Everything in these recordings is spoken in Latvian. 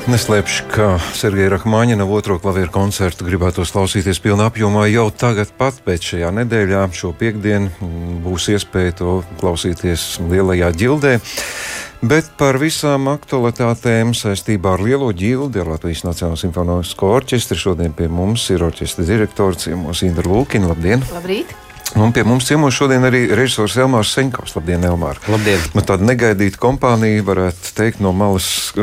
Neslēpšu, ka Sergeja Rahmaņina otro klavieru koncertu gribētos klausīties pilnā apjomā jau tagad pat, bet šajā nedēļā, šo piektdienu, būs iespēja to klausīties Lielajā ģildē. Bet par visām aktualitātēm saistībā ar Lielo ģildi, ar Latvijas Nacionālo simfonisko orķestri šodien pie mums ir orķestra direktors ciemos Indra Lūkina. Labdien! Labrīt! Un pie mums ciemos šodien arī režisors Elmārs Seņkovs. Labdien, Elmār! Labdien! Tāda negaidīta kompānija, varētu teikt, no malas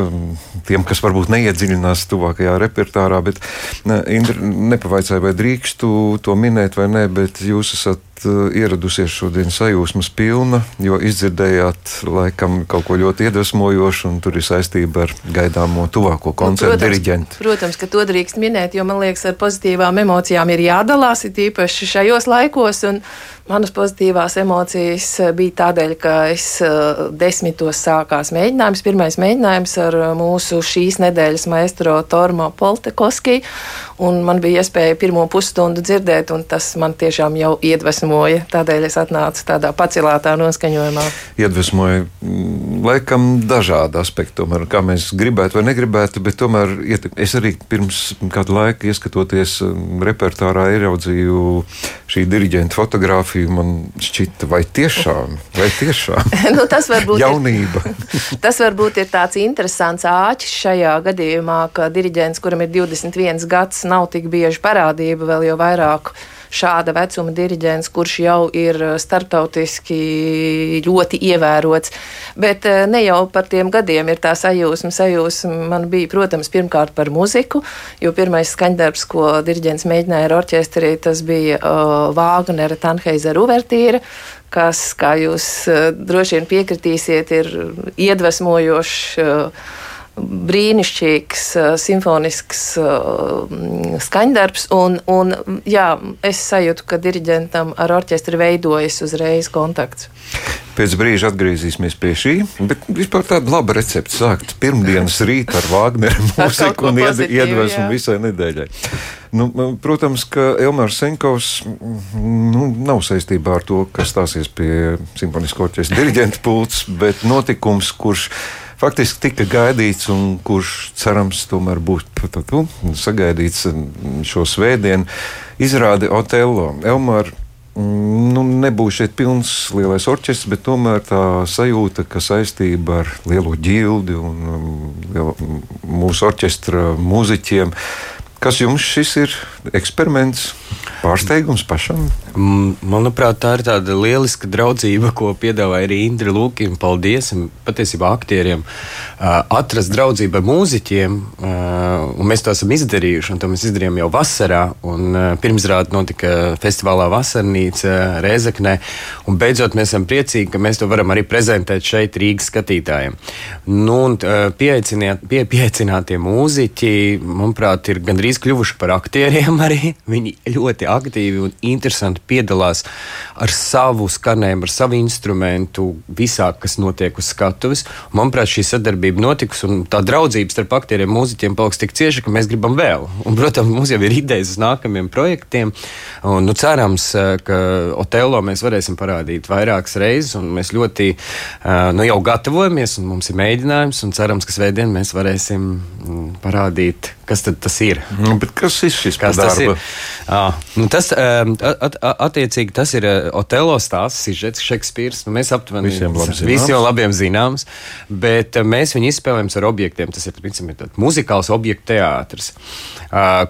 tiem, kas varbūt neiedziļinās tuvākajā repertārā, bet Indra nepavaicāja, vai drīkstu to minēt vai nē, bet jūs esat ieradusies šodien sajūsmas pilna, jo izdzirdējāt laikam kaut ko ļoti iedvesmojošu, un tur ir saistība ar gaidāmo tuvāko koncertu diriģentu. Protams, ka to drīkst minēt, jo man liekas, ar pozitīvām emocijām ir jādalās, it īpaši šajos laikos, un manas pozitīvās emocijas bija tādēļ, ka es 10. sākās mēģinājums, pirmais mēģinājums ar mūsu šīs nedēļas maestro Tormo Poltekoski, un man bija iespēja pirmo pusstundu dzirdēt, un tas man tiešām jau iedvesmoja, tādēļ es atnācu tādā pacelātā noskaņojumā. Iedvesmoja laikam dažādi aspekti, tomēr, kā mēs gribētu vai negribētu, bet tomēr es arī pirms kādu laiku ieskatoties repertārā ieraudzīju šī diriģenta fotogrāfiju. Man šķita, vai tiešām? Nu, tas varbūt jaunība. Tas varbūt ir tāds interesants āķis šajā gadījumā, ka diriģents, kuram ir 21 gads, nav tik bieži parādība, vēl jau vairāk šāda vecuma diriģents, kurš jau ir starptautiski ļoti ievērots. Bet ne jau par tiem gadiem ir tā sajūsma man bija, protams, pirmkārt par muziku, jo pirmais skaņdarbs, ko diriģents mēģināja ar orķestri, tas bija Vāgnera Tannheiser uvertīra, kas, kā jūs droši vien piekritīsiet, ir iedvesmojošs, brīnišķīgs simfonisks skaņdarbs, un jā, es sajūtu, ka diriģentam ar orķestri veidojas uzreiz kontakts. Pēc brīža atgriezīsimies pie šī, bet vispār tāda laba recepte sākt pirmdienas rīta ar Vāgnera mūziku un iedvesmu visai nedēļai. Nu, protams, ka Elmārs Seņkovs nav saistībā ar to, kas stāsies pie simfonisko orķestra diriģenta pults, bet notikums, kurš faktiski tika gaidīts un kurš, cerams, tomēr būs sagaidīts šo svētdienu, izrāde Otello. Elmār, nebūs šeit pilns lielais orķestrs, bet tomēr tā sajūta, ka saistība ar Lielo ģildi un mūsu orķestra mūziķiem. Kas jums šis ir eksperiments, pārsteigums pašam? Manuprāt, tā ir tāda lieliska draudzība, ko piedāvāja arī Indra Lūkina. Paldies, un patiesībā aktieriem atrast draudzību ar mūziķiem, un mēs to esam izdarījuši, un to mēs izdarījām jau vasarā, un pirmsrāde notika festivālā Vasarnīca Rēzeknē, un beidzot mēs esam priecīgi, ka mēs to varam arī prezentēt šeit Rīgas skatītājiem. Nu, un pieaicinātie mūziķi, manuprāt, ir gandrīz kļuvuši par aktieriem arī. Viņi ļoti aktīvi un interesanti piedalās ar savu skanējumu, ar savu instrumentu visā, kas notiek uz skatuves. Manuprāt, šī sadarbība notikusi, un tā draudzība starp aktieriem un mūziķiem paliks tik cieša, ka mēs gribam vēl. Un, protams, mums jau ir idejas uz nākamiem projektiem, un cerams, ka Otello mēs varēsim parādīt vairākas reizes, un mēs ļoti jau gatavojamies, un mums ir mēģinājums, un cerams, ka svētdien mēs varēsim parādīt, kas tad tas ir. Bet kas ir šis darba? Tas attiecīgi tas ir Otello stāsts, sižets, Šekspīrs. Mēs aptuveni visiem labiem zināms, bet mēs viņu izspēlējam ar objektiem. Tas ir muzikāls objektu teātris,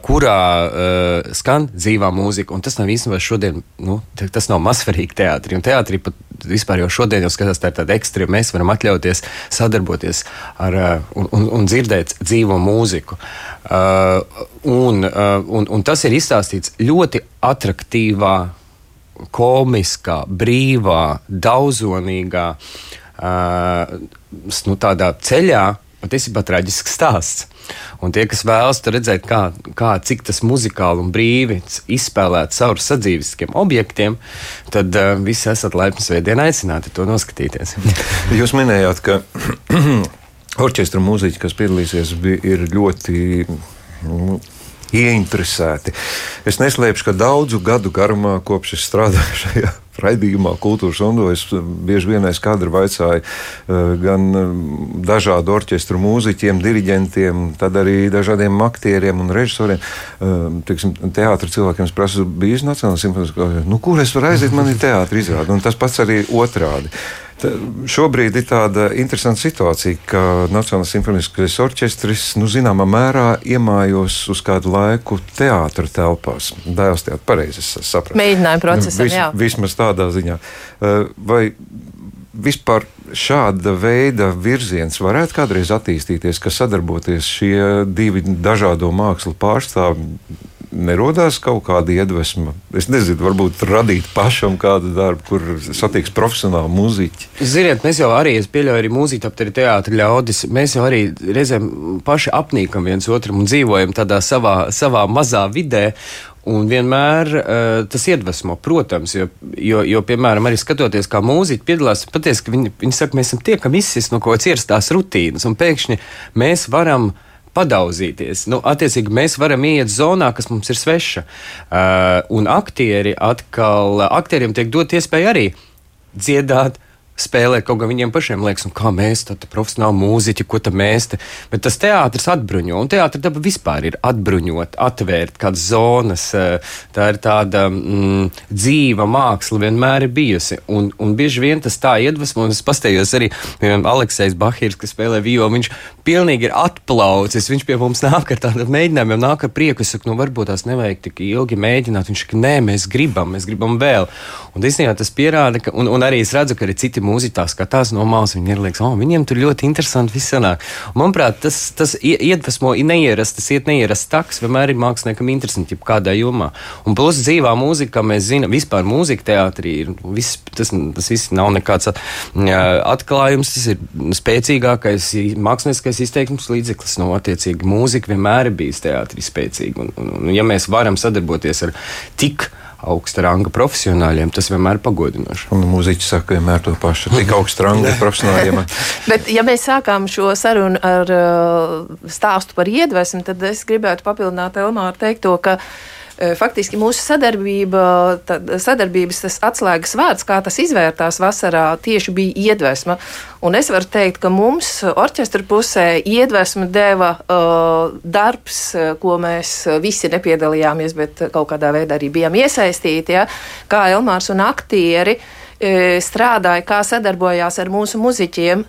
kurā skan dzīvā mūzika, un tas nav īstenībā šodien, tas nav mazsvarīgi teātri, un teātri pat vispār jau šodien jau skatās, tā ir tāda ekstra, mēs varam atļauties sadarboties un dzirdēt dzīvo mūziku. Un tas ir izstāstīts ļoti atraktīvā, komiskā, brīvā, daudzonīgā, tādā ceļā, patiesībā traģisks stāsts. Un tie, kas vēlas redzēt, cik tas muzikāli un brīvi izspēlēt caur sadzīviskiem objektiem, tad visi esat laipni svētdien aicināti to noskatīties. Jūs minējāt, ka orķestra mūziķi, kas piedalīsies, ir ļoti ieinteresēti. Es neslēpšu, ka daudzu gadu garumā, kopš es strādāju šajā raidījumā Kultūras Ondo es bieži vien aiz kadra vaicāju gan dažādu orķestru mūziķiem, diriģentiem, tad arī dažādiem aktieriem un režisoriem. Teātra cilvēkiem es prasu, bijis Nacionālais simfoniskais, kur es varu aiziet, man ir teātra izrāde, un tas pats arī otrādi. Šobrīd ir tāda interesanta situācija, ka Nacionālais simfoniskais orķestris, zināmā mērā iemājos uz kādu laiku teātra telpās. Dēls teātra, pareizi es sapratu. Mēģinājumu procesam, jā. Vismaz tādā ziņā. Vai vispār šāda veida virziens varētu kādreiz attīstīties, ka sadarboties šie divi dažādo mākslu pārstāvi, nerodās kaut kāda iedvesma? Es nezinu, varbūt radīt pašam kādu darbu, kur satiks profesionāli muziķi. Ziniet, mēs jau arī, es pieļauju arī mūziķi, tāpat arī teātra ļaudis, mēs jau arī reizēm paši apnīkam viens otram un dzīvojam tādā savā mazā vidē. Un vienmēr tas iedvesmo, protams, jo piemēram, arī skatoties, kā mūziķi piedalās, patiesi, ka viņi saka, mēs esam tie, kam izsis no kaut kādas ierastās rutīnas, un pēkšņi mēs varam padauzīties. Attiecīgi, mēs varam iet zonā, kas mums ir sveša. Un aktieriem tiek dot iespēja arī dziedāt, spēlēt, kaut kā viņiem pašiem liekas, kā mēs, tad profesionāli mūziķi, ko tad mēs te. Bet tas teātris atbruņo, un teātra daba vispār ir atbruņot, atvērt kādas zonas. Tā ir tāda dzīva māksla vienmēr ir bijusi. Un bieži vien tas tā iedvesmo, un es pastējos arī, piemēram, Aleksejs Bahirs, kas spēlē violu, viņš pilnīgi ir atplaucis, viņš pie mums nāk ar tādiem mēģinājumiem, nāk ar prieku, es saku, varbūt tās nevajag tik ilgi mēģināt, viņš saka, nē, mēs gribam vēl. Un īstenībā tas pierāda, ka, un arī es redzu, ka arī citi mūziķi tā skatās no malas, viņi ir liekas, viņiem tur ļoti interesanti viss sanāk. Un, manuprāt, tas iedvesmo neierast taks, vienmēr ir māksliniekam interesanti, kādā jomā. Un plus dzīvā mūzika, kā mēs zinām, vispār mūzika teātrī ir, tas viss nav nekāds atklājums, tas ir spēcīgākais mākslinieckais izteikums līdzeklis, attiecīgi mūzika vienmēr ir bijis teātrī spēcīga. Un ja mēs varam sadarboties ar tik augsta ranga profesionāļiem, tas vienmēr pagodinoši. Un mūziķi saka vienmēr to pašu, tik augsta ranga profesionāļiem. Bet, ja mēs sākām šo sarunu ar stāstu par iedvesmu, tad es gribētu papildināt Elmāru teikto, ka faktiski mūsu sadarbības tas atslēgas vārds, kā tas izvērtās vasarā, tieši bija iedvesma. Un es varu teikt, ka mums orķestra pusē iedvesmu deva darbs, ko mēs visi nepiedalījāmies, bet kaut kādā veidā arī bijām iesaistīti, ja? Kā Elmārs un aktieri strādāja, kā sadarbojās ar mūsu muziķiem.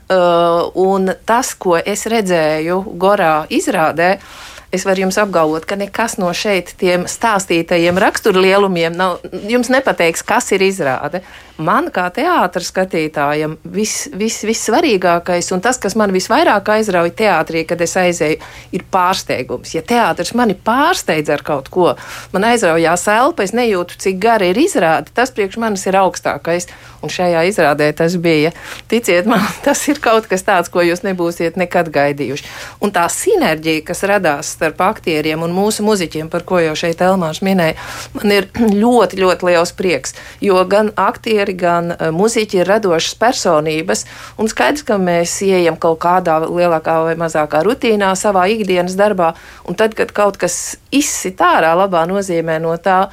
Un tas, ko es redzēju Gorā izrādē, es varu jums apgalvot, ka nekas no šeit tiem stāstītajiem raksturlielumiem jums nepateiks, kas ir izrāde. Man kā teātra skatītājam vissvarīgākais un tas, kas man visvairāk aizrauja teātrī, kad es aizēju, ir pārsteigums. Ja teātris mani pārsteidz ar kaut ko, man aizraujās elpa, es nejūtu, cik gara ir izrāde, tas priekš manis ir augstākais. Un šajā izrādē tas bija. Ticiet man, tas ir kaut kas tāds, ko jūs nebūsiet nekad gaidījuši. Un tā sinerģija, kas radās starp aktieriem un mūsu muziķiem, par ko jau šeit Elmārs minēja, man ir ļoti, ļoti liels prieks, jo gan aktieri, gan muziķi ir radošas personības, un skaidrs, ka mēs ieejam kaut kādā lielākā vai mazākā rutīnā savā ikdienas darbā, un tad, kad kaut kas izsit ārā labā nozīmē no tā,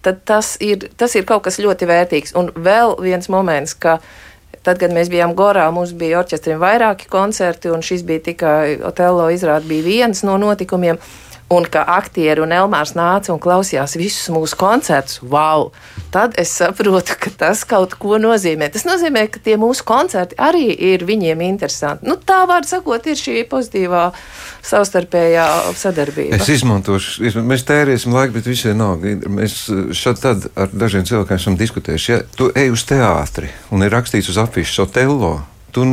tad tas ir kaut kas ļoti vērtīgs. Un vēl viens moments, ka tad, kad mēs bijām Gorā, mums bija orķestrim vairāki koncerti, un šis bija tikai Otello izrāde, bija viens no notikumiem, un ka aktieri un Elmārs nāca un klausījās visus mūsu koncertus. Wow! Tad es saprotu, ka tas kaut ko nozīmē. Tas nozīmē, ka tie mūsu koncerti arī ir viņiem interesanti. Tā vārdu sakot, ir šī pozitīvā savstarpējā sadarbība. Es izmantošu, mēs tērēsim laiku, bet visai nav. Mēs šad tad ar dažiem cilvēkiem esam diskutējuši. Ja tu ej uz teātri un ir rakstīts uz afišas Otello, tu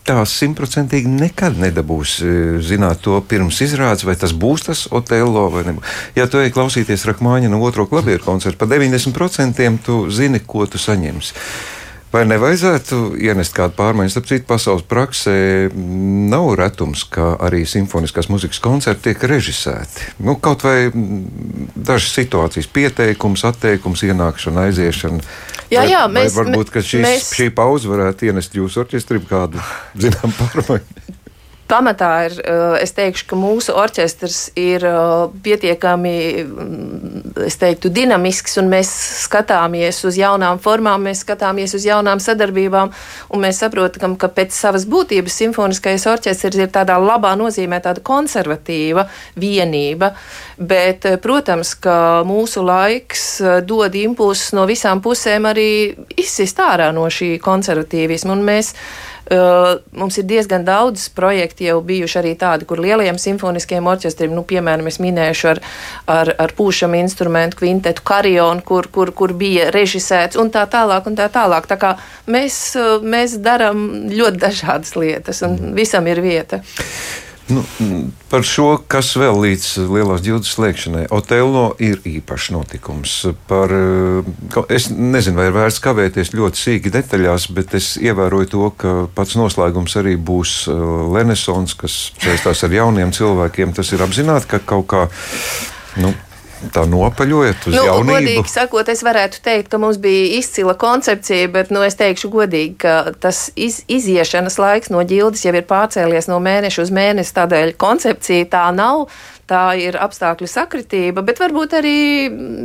tā 100% nekad nedabūsi zināt to pirms izrādes, vai tas būs tas Otello vai nebūs. Ja tu ej klausīties Rahmāņina otro klavieru koncertu, pa 90% tu zini, ko tu saņemsi. Vai nevajadzētu ienest kādu pārmaiņu? Starp citu, pasaules praksē nav retums, ka arī simfoniskās muzikas koncerti tiek režisēti. Kaut vai dažas situācijas, pieteikums, atteikums, ienākšana, aiziešana. Jā, varbūt, ka šī pauze varētu ienest jūsu orķestrim kādu, zinām, pārmaiņu. pamatā ir, es teikšu, ka mūsu orķestrs ir pietiekami, es teiktu, dinamisks, un mēs skatāmies uz jaunām formām, mēs skatāmies uz jaunām sadarbībām, un mēs saprotam, ka pēc savas būtības simfoniskais orķestrs ir tādā labā nozīmē tāda konservatīva vienība, bet, protams, ka mūsu laiks dod impulsus no visām pusēm arī izsist ārā no šī konservatīvisma, un mums ir diezgan daudz projekti jau bijuši arī tādi, kur lielajiem simfoniskiem orķestriem, piemēram, es minēšu ar pūšamu instrumentu kvintetu Karionu, kur bija režisēts un tā tālāk un tā tālāk. Tā kā mēs darām ļoti dažādas lietas un visam ir vieta. Par šo, kas vēl līdz lielās ģildes slēgšanai. Otello ir īpašs notikums. Es nezinu, vai ir vērts kavēties ļoti sīki detaļās, bet es ievēroju to, ka pats noslēgums arī būs Renesons, kas saistās ar jauniem cilvēkiem. Tas ir apzināti, ka kaut kā, tā nopaļojat uz jaunību? Godīgi sakot, es varētu teikt, ka mums bija izcila koncepcija, bet es teikšu godīgi, ka tas iziešanas laiks no ģildes jau ir pārcēlies no mēneša uz mēnesi, tādēļ koncepcija tā nav. Tā ir apstākļu sakritība, bet varbūt arī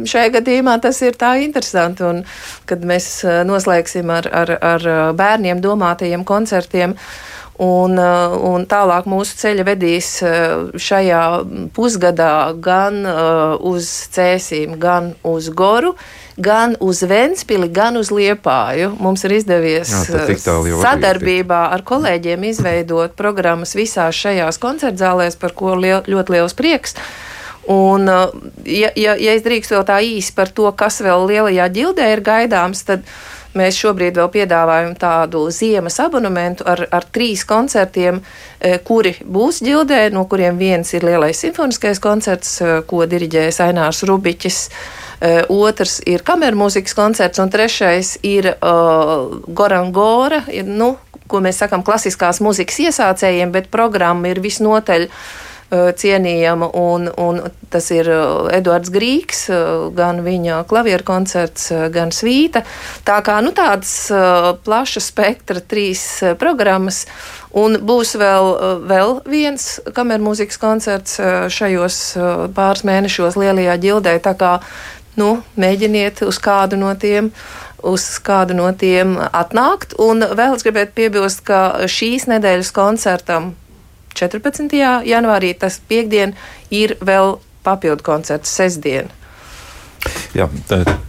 šajā gadījumā tas ir tā interesanti, un kad mēs noslēgsim ar bērniem domātajiem koncertiem. Un tālāk mūsu ceļa vedīs šajā pusgadā gan uz Cēsīm, gan uz Goru, gan uz Ventspili, gan uz Liepāju. Mums ir izdevies sadarbībā ar kolēģiem izveidot programmas visās šajās koncertzālēs, par ko ļoti liels prieks. Un, ja es drīkstu vēl tā īsi par to, kas vēl lielajā ģildē ir gaidāms, tad mēs šobrīd vēl piedāvājam tādu ziemas abonementu ar 3 koncertiem, kuri būs ģildē, no kuriem viens ir lielais simfoniskais koncerts, ko diriģēs Ainārs Rubiķis, otrs ir kamermūzikas koncerts, un trešais ir Gorangora, ko mēs sakam klasiskās mūzikas iesācējiem, bet programma ir visnotaļ cienījama, un tas ir Eduards Grīgs, gan viņa klavieru koncerts, gan svīta. Tā kā tādas plaša spektra 3 programmas, un būs vēl viens kamermūzikas koncerts šajos pāris mēnešos lielajā ģildē, tā kā mēģiniet uz kādu no tiem atnākt, un vēl es gribētu piebilst, ka šīs nedēļas koncertam 14. janvārī, tas piekdien, ir vēl papildu koncerts sestdien. Jā,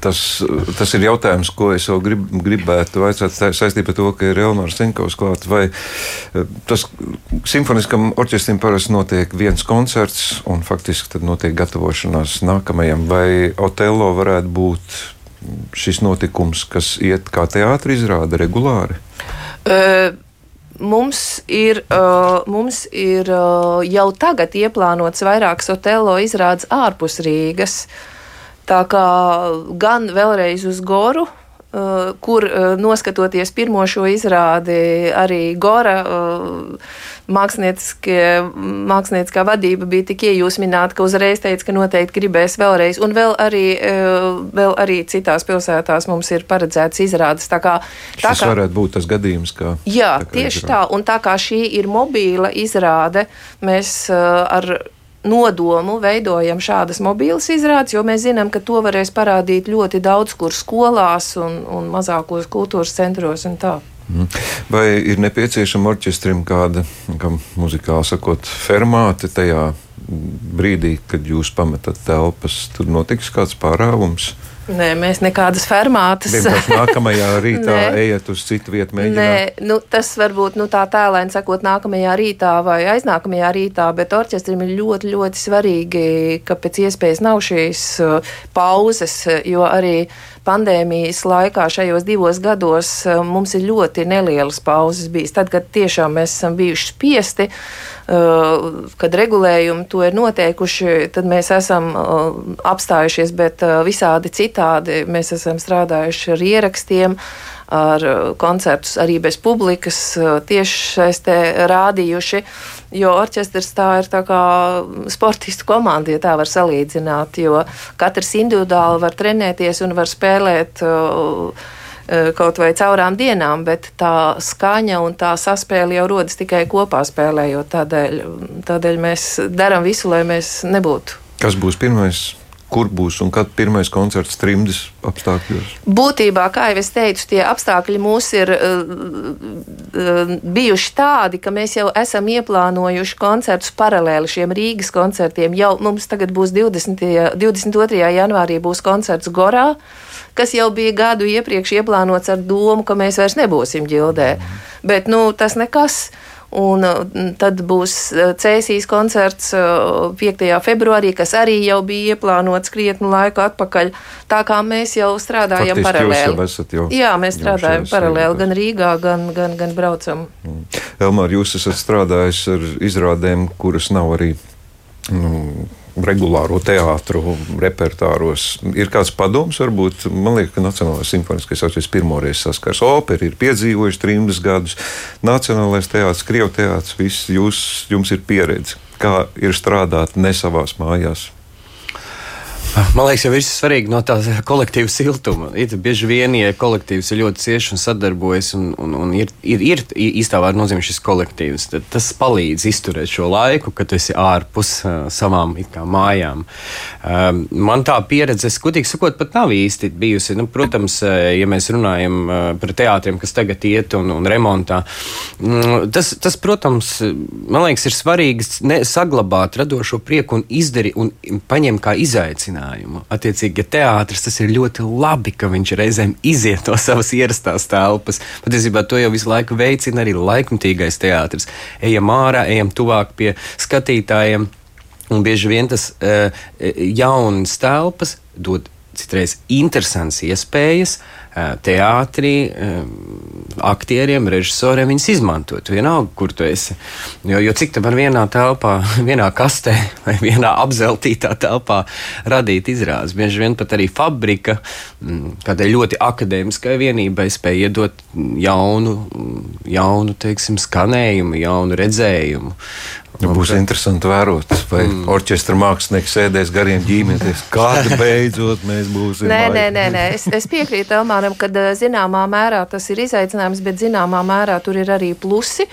tas ir jautājums, ko es vēl gribētu vaicāt saistībā ar to, ka ir Elmārs Cinkovs klāt. Vai tas simfoniskam orķestrim parasti notiek viens koncerts un faktiski tad notiek gatavošanās nākamajam, vai Otello varētu būt šis notikums, kas iet kā teātra izrāde regulāri? Mums ir jau tagad ieplānots vairākas Otello izrādes ārpus Rīgas. Tā kā gan vēlreiz uz Goru, kur noskatoties pirmo šo izrādi, arī Gora mākslinieckā vadība bija tik iejūsmināta, ka uzreiz teica, ka noteikti gribēs vēlreiz. Un vēl arī citās pilsētās mums ir paredzēts izrādes. Šis varētu būt tas gadījums, kā. Jā, tieši tā. Un tā kā šī ir mobīla izrāde, mēs ar nodomu veidojam šādas mobīlas izrādes, jo mēs zinām, ka to varēs parādīt ļoti daudz kur skolās un mazākos kultūras centros un tā. Vai ir nepieciešama orķestrim kāda, muzikāli sakot, fermāte tajā brīdī, kad jūs pametat telpas? Tur notiks kāds pārāvums? Nē, mēs nekādas fermātas. Vienkārši nākamajā rītā ejat uz citu vietu mēģināt? Nē, tas varbūt tā tēlēni sakot nākamajā rītā vai aiznākamajā rītā, bet orķestrim ir ļoti, ļoti svarīgi, ka pēc iespējas nav šīs pauzes, jo arī pandēmijas laikā šajos 2 gados mums ir ļoti nelielas pauzes bijis. Tad, kad tiešām mēs esam bijuši spiesti, kad regulējumi to ir noteikuši, tad mēs esam apstājušies, bet visādi citādi mēs esam strādājuši ar ierakstiem, ar koncertus arī bez publikas, tiešsaistē rādījuši, jo orķestrs tā ir tā kā sportistu komanda, ja tā var salīdzināt, jo katrs individuāli var trenēties un var spēlēt kaut vai caurām dienām, bet tā skaņa un tā saspēle jau rodas tikai kopā spēlējot. Tādēļ mēs darām visu, lai mēs nebūtu. Kas būs pirmais? Kur būs un kad pirmais koncerts trimdes apstākļos? Būtībā, kā jau es teicu, tie apstākļi mūs ir bijuši tādi, ka mēs jau esam ieplānojuši koncertus paralēli šiem Rīgas koncertiem. Jau mums tagad būs 22. janvārī būs koncerts Gorā, kas jau bija gadu iepriekš ieplānots ar domu, ka mēs vairs nebūsim Ģildē. Bet, tas nekas. Un tad būs Cēsīs koncerts 5. februārī, kas arī jau bija ieplānots krietnu laiku atpakaļ. Tā kā mēs jau strādājam paralēli. Jā, mēs strādājam paralēli gan Rīgā, gan braucam. Elmār, jūs esat strādājis ar izrādēm, kuras nav arī regulāro teātru repertāros. Ir kāds padoms, varbūt, man liekas, ka Nacionālais simfoniskais orķestris pirmoreiz saskars. Opera ir piedzīvojuši trimdas gadus, Nacionālais teātris, Krievu teātris, viss jums ir pieredze. Kā ir strādāt ne savās mājās? Man liekas, jau ir svarīgi no tā kolektīva siltuma. Bieži vien, ja kolektīvs ir ļoti cieši un sadarbojas, un ir īstā vārda nozīmē šis kolektīvs, tad tas palīdz izturēt šo laiku, kad tu esi ārpus savām mājām. Man tā pieredze, godīgi sakot, pat nav īsti bijusi. Protams, ja mēs runājam par teātriem, kas tagad iet un remontā, tas, protams, man liekas, ir svarīgi saglabāt radošo prieku un izdarīt un paņemt kā izaicinājumu. Attiecīgi, ja teātris, tas ir ļoti labi, ka viņš reizēm iziet no savas ierastās telpas. Patiesībā to jau visu laiku veicina arī laikmatīgais teātris. Ejam ārā, ejam tuvāk pie skatītājiem, un bieži vien tas jaunas telpas dod citreiz interesants iespējas teātrī, aktieriem, režisoriem viņas izmantot. Vienalga, kur tu esi. Jo cik te var vienā telpā, vienā kastē vai vienā apzeltītā telpā radīt izrādes. Bieži vien pat arī fabrika kādai ļoti akadēmiskai vienībai spēja iedot jaunu, teiksim, skanējumu, jaunu redzējumu. Būs interesanti vērot, vai orķestra mākslinieks sēdēs gariem ģimenes. Kāda beidzot mēs būsim? Nē. Es piekrītu Elmāram, ka zināmā mērā tas ir izaicinājums, bet zināmā mērā tur ir arī plusi.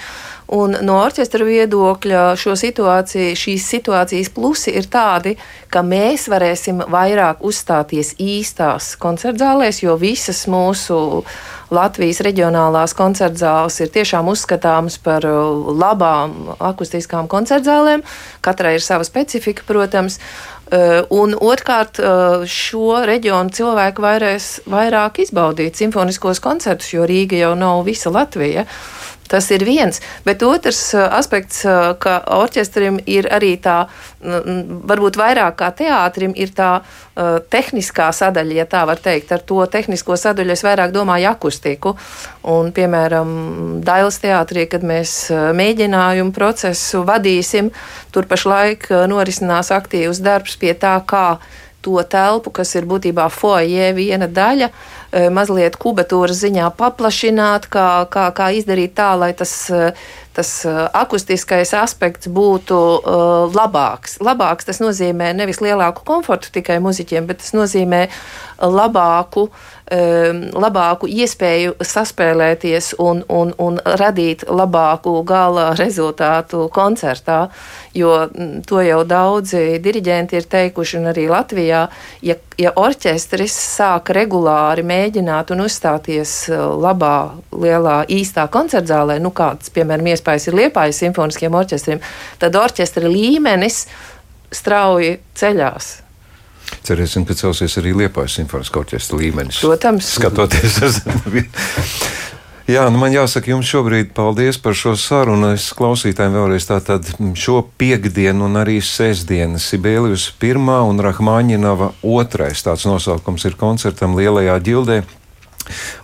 Un no orķestra viedokļa šīs situācijas plusi ir tādi, ka mēs varēsim vairāk uzstāties īstās koncertzālēs, jo visas mūsu Latvijas reģionālās koncertzāles ir tiešām uzskatāmas par labām akustiskām koncertzālēm. Katrai ir sava specifika, protams. Un otrkārt, šo reģionu cilvēku vairāk izbaudīt simfoniskos koncertus, jo Rīga jau nav visa Latvija. Tas ir viens, bet otrs aspekts, ka orķestrim ir arī tā, varbūt vairāk kā teātrim, ir tā tehniskā sadaļa, ja tā var teikt. Ar to tehnisko sadaļu es vairāk domāju akustiku. Un, piemēram, Dailes teātrī, kad mēs mēģinājumu procesu vadīsim, tur pašlaik norisinās aktīvs darbs pie tā, kā to telpu, kas ir būtībā foajē viena daļa, mazliet kubatūras ziņā paplašināt, kā izdarīt tā, lai tas akustiskais aspekts būtu labāks. Labāks tas nozīmē nevis lielāku komfortu tikai muziķiem, bet tas nozīmē labāku iespēju saspēlēties un radīt labāku gala rezultātu koncertā, jo to jau daudzi diriģenti ir teikuši, un arī Latvijā, ja orķestris sāk regulāri mēģināt un uzstāties labā, lielā, īstā koncertzālē, kāds, piemēram, iespējas ir Liepājas simfoniskiem orķestriem, tad orķestra līmenis strauji ceļās. Cerēsim, ka celsies arī Liepājas simfoniskā orķestra līmenis. Protams. Skatoties uz... Jā, man jāsaka jums šobrīd paldies par šo sarunu. Es klausītājiem vēlreiz tātad šo piekdienu un arī sestdienu Sibelius 1. un Rahmaņinova 2. tāds nosaukums ir koncertam Lielajā Ģildē.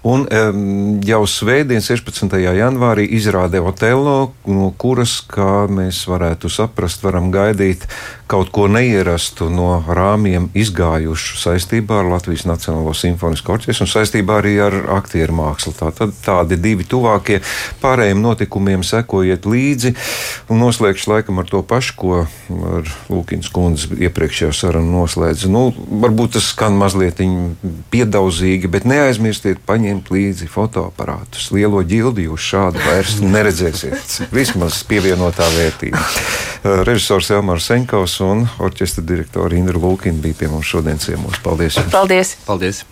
Un jau svētdien, 16. janvārī, izrāde Otello, no kuras, kā mēs varētu saprast, varam gaidīt kaut ko neierastu no rāmjiem izgājušu saistībā ar Latvijas Nacionālo simfonisko orķestru un saistībā arī ar aktieru mākslu. Tātad tādi divi tuvākie, pārējiem notikumiem sekojiet līdzi. Un noslēgšu laikam ar to pašu, ko ar Lūkīnas kundzi iepriekšējā sarunu noslēdz. Varbūt tas skan mazliet piedaudzīgi, bet neaizmirstiet paņemt līdzi fotoaparātus. Lielo ģildi jūs šādu vairs neredzēsiet. Vismaz pievienotā vērtība. Režisors Elmārs Senkovs un orķestra direktora Indra Lūkina bija pie mums šodien ciemos. Paldies! Paldies! Paldies.